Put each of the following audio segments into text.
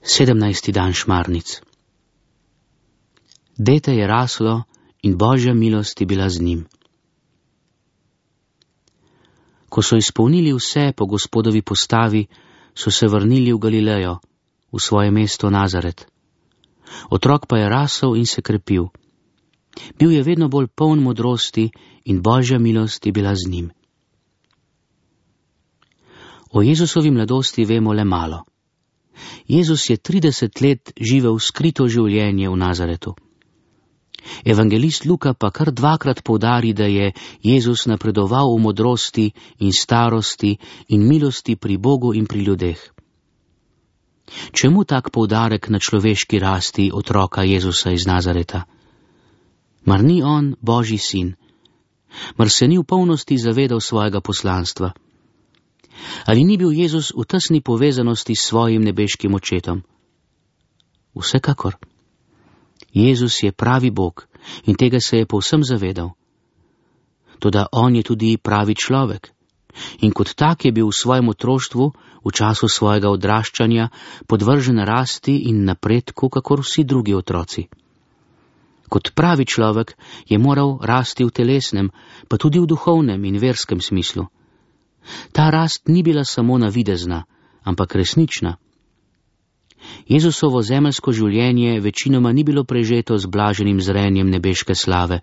17. dan šmarnic. Dete je raslo in Božja milost je bila z njim. Ko so izpolnili vse po Gospodovi postavi, so se vrnili v Galilejo, v svoje mesto Nazaret. Otrok pa je rasel in se krepil. Bil je vedno bolj poln modrosti in Božja milost je bila z njim. O Jezusovi mladosti vemo le malo. Jezus je 30 let živel skrito življenje v Nazaretu. Evangelist Luka pa kar dvakrat poudari, da je Jezus napredoval v modrosti in starosti in milosti pri Bogu in pri ljudeh. Čemu tak poudarek na človeški rasti otroka Jezusa iz Nazareta? Mar ni on Božji sin? Mar se ni v polnosti zavedal svojega poslanstva? Ali ni bil Jezus v tesni povezanosti s svojim nebeškim očetom? Vsekakor. Jezus je pravi Bog in tega se je povsem zavedal. Toda on je tudi pravi človek in kot tak je bil v svojem otroštvu, v času svojega odraščanja, podvržen rasti in napredku, kakor vsi drugi otroci. Kot pravi človek je moral rasti v telesnem, pa tudi v duhovnem in verskem smislu. Ta rast ni bila samo navidezna, ampak resnična. Jezusovo zemeljsko življenje večinoma ni bilo prežeto z blaženim zrenjem nebeške slave,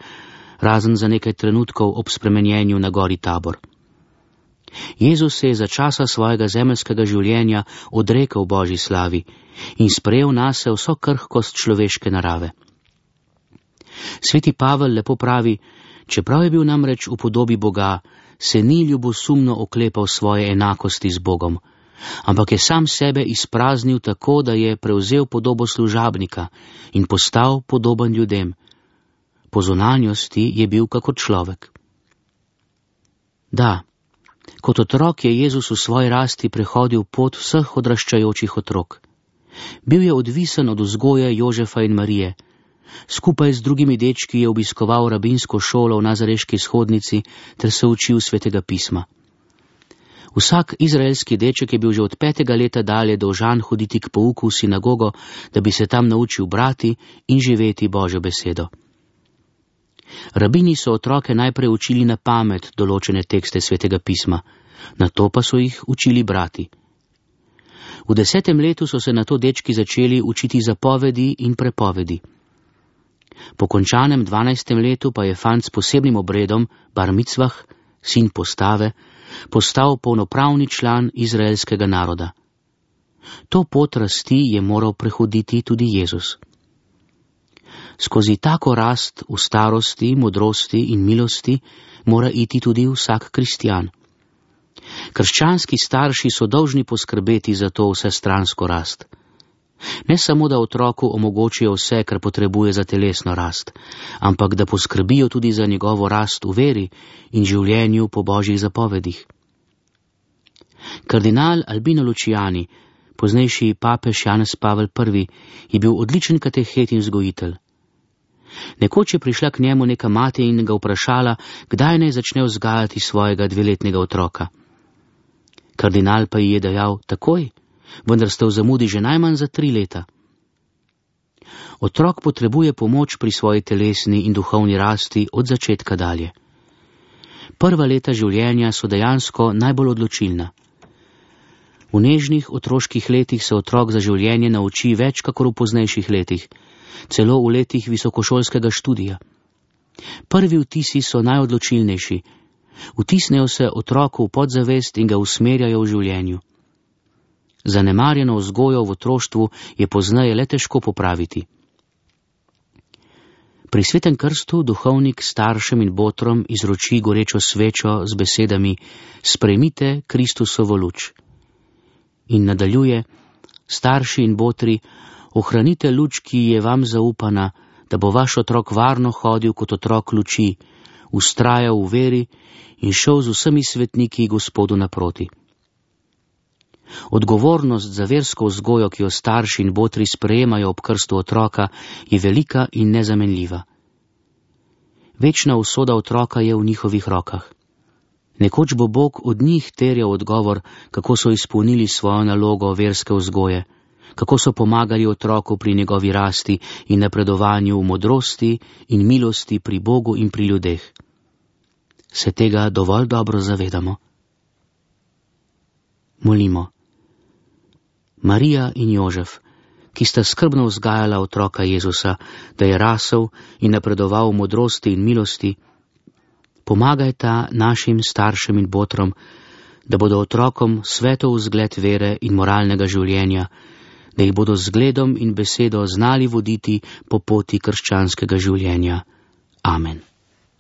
razen za nekaj trenutkov ob spremenjenju na gori Tabor. Jezus se je za časa svojega zemeljskega življenja odrekel Božji slavi in sprejel nase vso krhkost človeške narave. Sveti Pavel lepo pravi, čeprav je bil namreč v podobi Boga, se ni ljubosumno oklepal svoje enakosti z Bogom, ampak je sam sebe izpraznil tako, da je prevzel podobo služabnika in postal podoben ljudem. Po zunanjosti je bil kakor človek. Da, kot otrok je Jezus v svoji rasti prehodil pot vseh odraščajočih otrok. Bil je odvisen od vzgoje Jožefa in Marije. Skupaj z drugimi dečki je obiskoval rabinsko šolo v nazareški shodnici ter se učil svetega pisma. Vsak izraelski deček je bil že od 5. leta dalje dolžan hoditi k pouku v sinagogo, da bi se tam naučil brati in živeti Božjo besedo. Rabini so otroke najprej učili na pamet določene tekste svetega pisma, nato pa so jih učili brati. V 10. letu so se nato dečki začeli učiti zapovedi in prepovedi. Po končanem 12. letu pa je fant s posebnim obredom, bar micvah, sin postave, postal polnopravni član izraelskega naroda. To pot rasti je moral prehoditi tudi Jezus. Skozi tako rast v starosti, modrosti in milosti mora iti tudi vsak kristjan. Krščanski starši so dolžni poskrbeti za to vsestransko rast. Ne samo, da otroku omogočijo vse, kar potrebuje za telesno rast, ampak da poskrbijo tudi za njegovo rast v veri in življenju po Božjih zapovedih. Kardinal Albino Luciani, poznejši papež Janez Pavel I, je bil odličen katehet in vzgojitelj. Nekoč je prišla k njemu neka mati in ga vprašala, kdaj naj začne vzgajati svojega 2-letnega otroka. Kardinal pa ji je dejal, takoj, vendar ste v zamudi že najmanj za 3 leta. Otrok potrebuje pomoč pri svoji telesni in duhovni rasti od začetka dalje. Prva leta življenja so dejansko najbolj odločilna. V nežnih otroških letih se otrok za življenje nauči več kakor v poznejših letih, celo v letih visokošolskega študija. Prvi vtisi so najodločilnejši. Vtisnejo se otroku v podzavest in ga usmerjajo v življenju. Zanemarjeno vzgojo v otroštvu je pozneje le težko popraviti. Pri svetem krstu duhovnik staršem in botrom izroči gorečo svečo z besedami sprejmite Kristusovo luč. In nadaljuje, starši in botri, ohranite luč, ki je vam zaupana, da bo vaš otrok varno hodil kot otrok luči, vztrajal v veri in šel z vsemi svetniki Gospodu naproti. Odgovornost za versko vzgojo, ki jo starši in botri sprejemajo ob krstu otroka, je velika in nezamenljiva. Večna usoda otroka je v njihovih rokah. Nekoč bo Bog od njih terjal odgovor, kako so izpolnili svojo nalogo verske vzgoje, kako so pomagali otroku pri njegovi rasti in napredovanju v modrosti in milosti pri Bogu in pri ljudeh. Se tega dovolj dobro zavedamo? Molimo. Marija in Jožef, ki sta skrbno vzgajala otroka Jezusa, da je rasel in napredoval v modrosti in milosti, pomagajta našim staršem in botrom, da bodo otrokom svetov vzgled vere in moralnega življenja, da jih bodo z zgledom in besedo znali voditi po poti krščanskega življenja. Amen.